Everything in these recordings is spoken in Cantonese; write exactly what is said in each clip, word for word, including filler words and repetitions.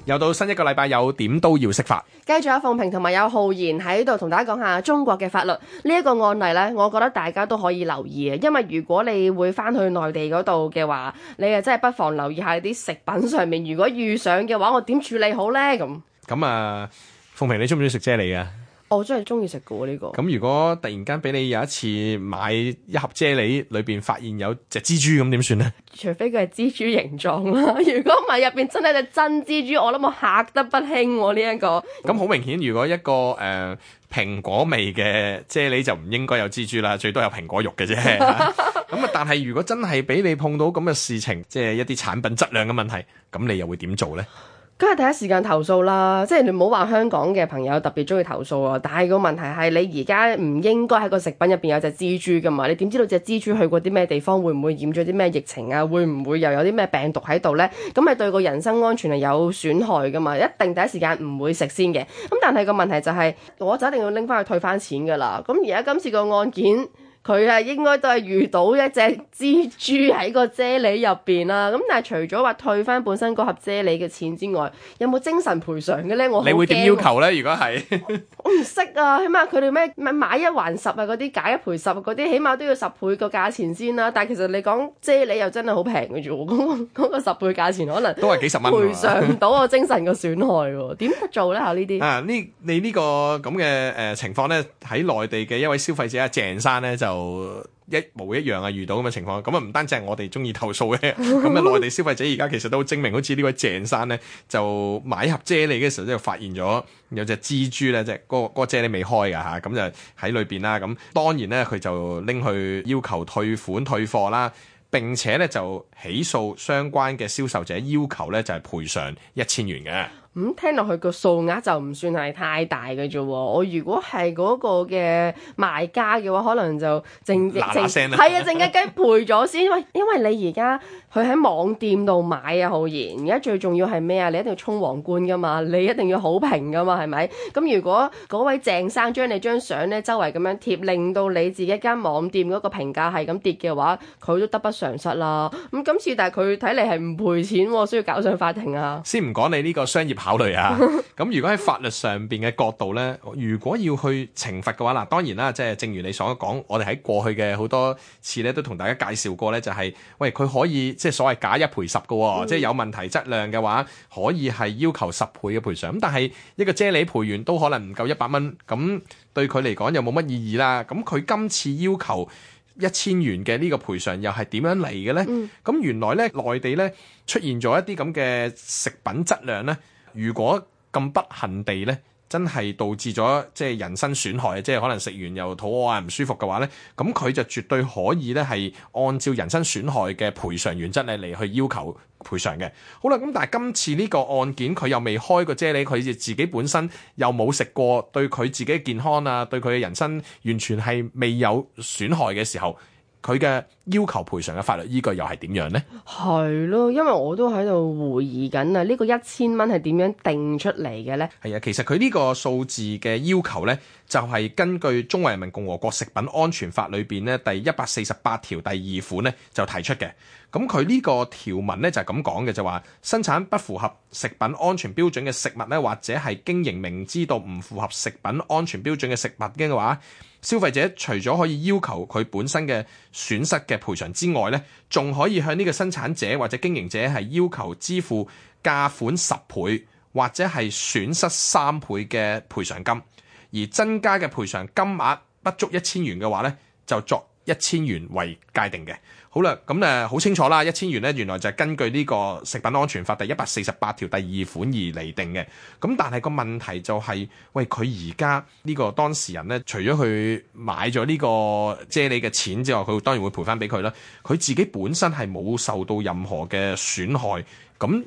又到新一個禮拜，有點都要識法。繼續有鳳萍同埋有浩然喺度同大家講下中國嘅法律呢一個案例呢，我覺得大家都可以留意嘅，因為如果你會翻去內地嗰度嘅話，你啊真係不妨留意下啲食品上面，如果遇上嘅話，我點處理好呢？咁咁啊，鳳萍你中唔中意食啫喱啊？我真係中意食嘅喎呢個。咁如果突然間俾你有一次買一盒啫喱，裏邊發現有隻蜘蛛，咁點算呢？除非佢係蜘蛛形狀啦，如果唔係入邊真係隻真蜘蛛，我諗我嚇得不輕喎呢一個。咁好明顯，如果一個誒、呃、蘋果味嘅啫喱就唔應該有蜘蛛啦，最多有蘋果肉嘅啫。咁啊，但係如果真係俾你碰到咁嘅事情，即係一啲產品質量嘅問題，咁你又會點做呢？梗係第一時間投訴啦，即係你唔好話香港嘅朋友特別中意投訴啊，但係個問題係你而家唔應該喺個食品入邊有隻蜘蛛噶嘛，你點知道隻蜘蛛去過啲咩地方，會唔會染咗啲咩疫情啊？會唔會又有啲咩病毒喺度呢？咁係對個人身安全係有損害噶嘛，一定第一時間唔會食先嘅。咁但係個問題就係，我就一定要拎翻去退翻錢噶啦。咁而家今次個案件，佢係應該都係遇到一隻蜘蛛喺個啫喱入邊啦，咁但係除咗話退翻本身嗰盒啫喱嘅錢之外，有冇精神賠償嘅咧？我好驚。你會點要求咧？如果係我唔識啊，起碼佢哋咩咩買一還十啊，嗰啲假一賠十嗰啲，起碼都要十倍個價錢先啦。但係其實你講啫喱又真係好平嘅啫喎，嗰、嗰個十倍價錢可能都係幾十蚊，賠償唔到我精神嘅損害喎。點做咧嚇呢啲？啊，呢你呢個咁嘅誒情況咧，喺內地嘅一位消費者阿鄭生咧就一模一樣啊，遇到咁嘅情況，咁啊唔單止係我哋中意投訴嘅，咁啊內地消費者而家其實都好精明，好似呢位鄭生咧就買盒啫喱嘅時候就發現咗有隻蜘蛛咧，即係嗰個嗰個啫喱未開㗎嚇，咁就喺裏邊啦，咁當然咧佢就拎去要求退款退貨啦，並且咧就起訴相關嘅銷售者，要求咧就係賠償一千元嘅。咁、嗯、聽落去個數額就唔算係太大嘅啫喎，我如果係嗰個嘅賣家嘅話，可能就靜靜靜係啊，靜雞雞賠咗先，喂，因為你而家佢喺網店度買啊，浩然，而家最重要係咩啊？你一定要衝皇冠噶嘛，你一定要好評噶嘛，係咪？咁如果嗰位鄭生將你張相咧周圍咁樣貼，令到你自己間網店嗰個評價係咁跌嘅話，佢都得不償失啦。咁今次但係佢睇嚟係唔賠錢喎，需要搞上法庭啊。先唔講你呢個商業考慮啊，咁如果喺法律上邊嘅角度呢，如果要去懲罰嘅話，嗱當然啦，即係正如你所講，我哋喺過去嘅好多次咧都同大家介紹過呢，就係、是、喂佢可以即係所謂假一賠十嘅喎，嗯、即係有問題質量嘅話，可以係要求十倍嘅賠償。咁但係一個啫喱賠完都可能唔夠一百蚊，咁對佢嚟講又冇乜意義啦。咁佢今次要求一千元嘅呢個賠償又係點樣嚟嘅呢？咁、嗯、原來呢，內地呢出現咗一啲咁嘅食品質量呢。如果咁不幸地咧，真係導致咗即係人身損害，即係可能食完又肚餓啊唔舒服嘅話咧，咁佢就絕對可以咧係按照人身損害嘅賠償原則咧嚟去要求賠償嘅。好啦，咁但係今次呢個案件佢又未開過啫喱，佢自己本身又冇食過，對佢自己嘅健康啊，對佢嘅人身完全係未有損害嘅時候，佢嘅要求賠償嘅法律依據又係點樣呢？係咯，因為我都喺度回憶緊啊，呢個一千蚊係點樣定出嚟嘅呢？係啊，其實佢呢個數字嘅要求呢，就係、是、根據《中華人民共和國食品安全法》裏邊呢第一百四十八條第二款呢就提出嘅。咁佢呢個條文呢，就係咁講嘅，就話生產不符合食品安全標準嘅食物呢，或者係經營明知道唔符合食品安全標準嘅食物嘅話，消費者除咗可以要求佢本身嘅損失嘅賠償之外呢，仲可以向呢個生產者或者經營者係要求支付價款十倍或者係損失三倍嘅賠償金，而增加嘅賠償金額不足一千元嘅話呢，就作一千元為界定嘅。好啦，咁誒好清楚啦，一千元咧原來就係根據呢個食品安全法第一百四十八條第二款而嚟定嘅。咁但係個問題就係、是，喂佢而家呢個當事人咧，除咗佢買咗呢個啫喱嘅錢之外，佢當然會賠翻俾佢啦。佢自己本身係冇受到任何嘅損害，咁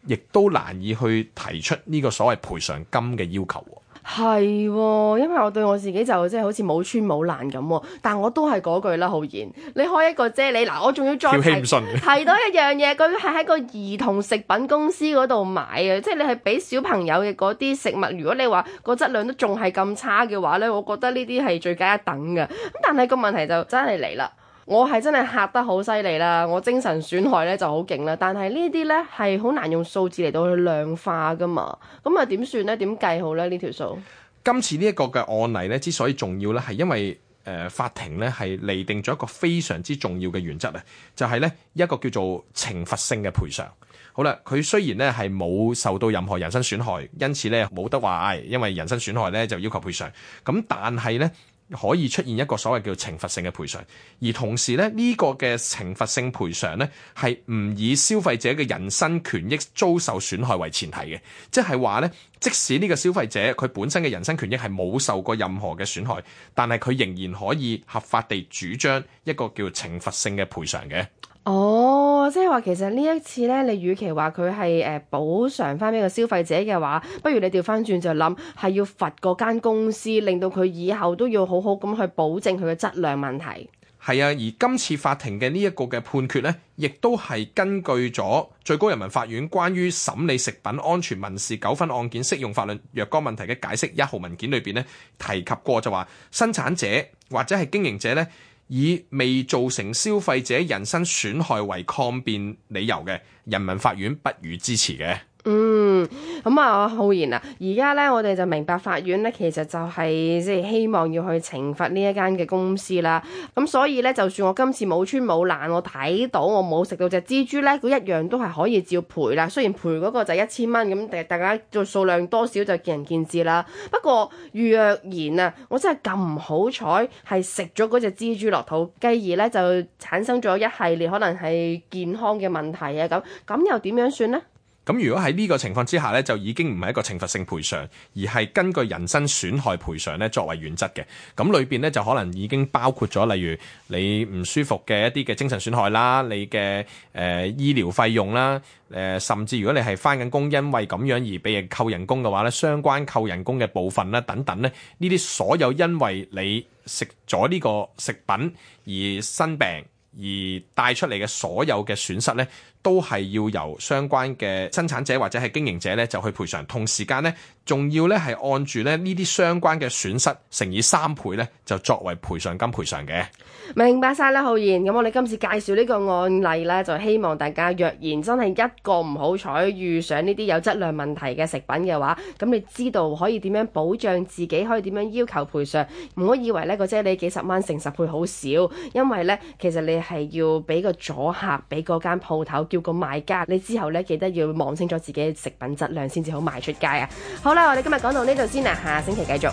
亦都難以去提出呢個所謂賠償金嘅要求。係喎，因為我對我自己就即係好似冇穿冇爛咁，但我都係嗰句啦，浩然，你開一個啫喱嗱，我仲要再提提多一樣嘢，佢係喺個兒童食品公司嗰度買嘅，即係你係俾小朋友嘅嗰啲食物，如果你話個質量都仲係咁差嘅話咧，我覺得呢啲係罪加一等嘅。咁但係個問題就真係嚟啦。我係真係嚇得好犀利啦，我精神損害咧就好勁啦，但係呢啲咧係好難用數字嚟到去量化噶嘛，咁啊點算咧？點計好咧呢條數？今次呢一個嘅案例咧之所以重要咧，係因為誒、呃、法庭咧係釐定咗一個非常之重要嘅原則啊，就係、是、咧一個叫做懲罰性嘅賠償。好啦，佢雖然咧係冇受到任何人身損害，因此咧冇得話誒，因為人身損害咧就要求賠償。咁但係咧，可以出現一個所謂叫懲罰性嘅賠償，而同時咧呢、這個嘅懲罰性賠償咧係唔以消費者嘅人身權益遭受損害為前提嘅，即係話咧，即使呢個消費者佢本身嘅人身權益係冇受過任何嘅損害，但係佢仍然可以合法地主張一個叫懲罰性嘅賠償嘅。哦，即係話其實呢一次咧，你與其話佢係誒補償翻俾個消費者嘅話，不如你調翻轉就諗係要罰嗰間公司，令到佢以後都要好好咁去保證佢嘅質量問題。係啊，而今次法庭嘅呢一個嘅判決呢，亦都係根據咗最高人民法院關於審理食品安全民事糾紛案件適用法律若干問題嘅解釋一號文件裏邊呢，提及過就話生產者或者係經營者呢，以未造成消費者人身損害為抗辯理由嘅，人民法院不予支持嘅。嗯，咁啊，浩然啊，而家咧我哋就明白法院咧其實就係即係希望要去懲罰呢一間嘅公司啦。咁所以咧，就算我今次冇穿冇爛，我睇到我冇食到隻蜘蛛咧，佢一樣都係可以照賠啦。雖然賠嗰個就一千蚊咁，大家做數量多少就見仁見智啦。不過若然啊，我真係咁唔好彩係食咗嗰隻蜘蛛落肚，繼而咧就產生咗一系列可能係健康嘅問題啊，咁咁又點樣算呢？咁如果喺呢個情況之下呢，就已經唔係一個懲罰性賠償，而係根據人身損害賠償呢作為原則嘅。咁裏邊呢，就可能已經包括咗，例如你唔舒服嘅一啲嘅精神損害啦，你嘅誒、呃、醫療費用啦，誒、呃、甚至如果你係返緊工，因為咁樣而被人扣人工嘅話呢，相關扣人工嘅部分啦等等呢，呢啲所有因為你食咗呢個食品而生病而帶出嚟嘅所有嘅損失呢，都係要由相關嘅生產者或者係經營者咧就去賠償，同時間咧仲要咧係按住咧呢啲相關嘅損失乘以三倍咧，就作為賠償金賠償嘅。明白晒啦，浩然。咁我哋今次介紹呢個案例咧，就希望大家若然真係一個唔好彩遇上呢啲有質量問題嘅食品嘅話，咁你知道可以點樣保障自己，可以點樣要求賠償。唔好以為呢個啫喱幾十蚊乘十倍好少，因為咧其實你係要俾個阻嚇俾嗰間鋪頭。叫個賣家，你之後咧記得要望清楚自己嘅食品質量先至好賣出街啊！好啦，我哋今日講到呢度先啦，下星期繼續。